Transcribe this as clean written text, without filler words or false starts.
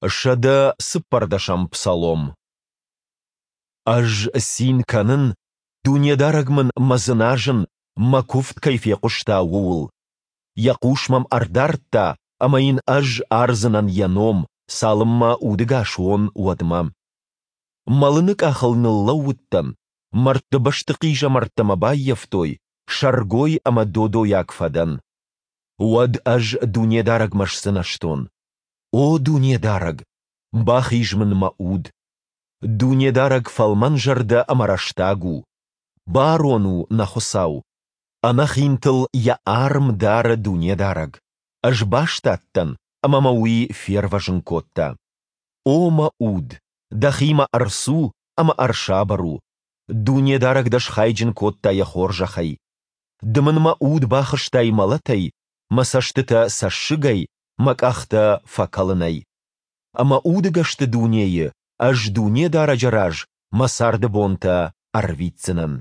114-ӕм псалом. Ӕз цин кӕнын, Дунедарӕг мын мӕ дзыназын, мӕ куывд кӕй фехъуыста, ууыл. Йӕ хъус мӕм ӕрдардта, ӕмӕ йын ӕз ардзынӕн йӕ ном, цалынмӕ удӕгас уон, уӕдмӕ. Мӕлыны къахыл ныллӕууыдтӕн, мӕрдты бӕсты хъизӕмӕрттӕ мӕ баййӕфтой, сӕргой ӕмӕ додойаг фӕдӕн. Уӕд ӕз Дунедарӕгмӕ сдзынӕзтон: О Дунедарӕг, бахиз мын мӕ уд! Дунедарӕг фӕлмӕнзӕрдӕ ӕмӕ рӕстаг у. Барон у нӕ Хуыцау. Ӕнӕхинтыл Йӕ арм дары Дунедарӕг. Ӕз бастадтӕн, ӕмӕ мӕ Уый фервӕзын кодта. О мӕ уд, дӕхимӕ ӕрцу ӕмӕ ӕрсабыр у, Дунедарӕг дӕ схайджын кодта Йӕ хорзӕхӕй. Ды мын мӕ уд бахызтай мӕлӕтӕй, мӕ цӕстытӕ цӕссыгӕй, мӕ къӕхтӕ фӕкӕлынӕй. Ӕмӕ удӕгӕсты дунейы ӕз Дунедарӕджы раз мӕ царды бонтӕ ӕрвитдзынӕн.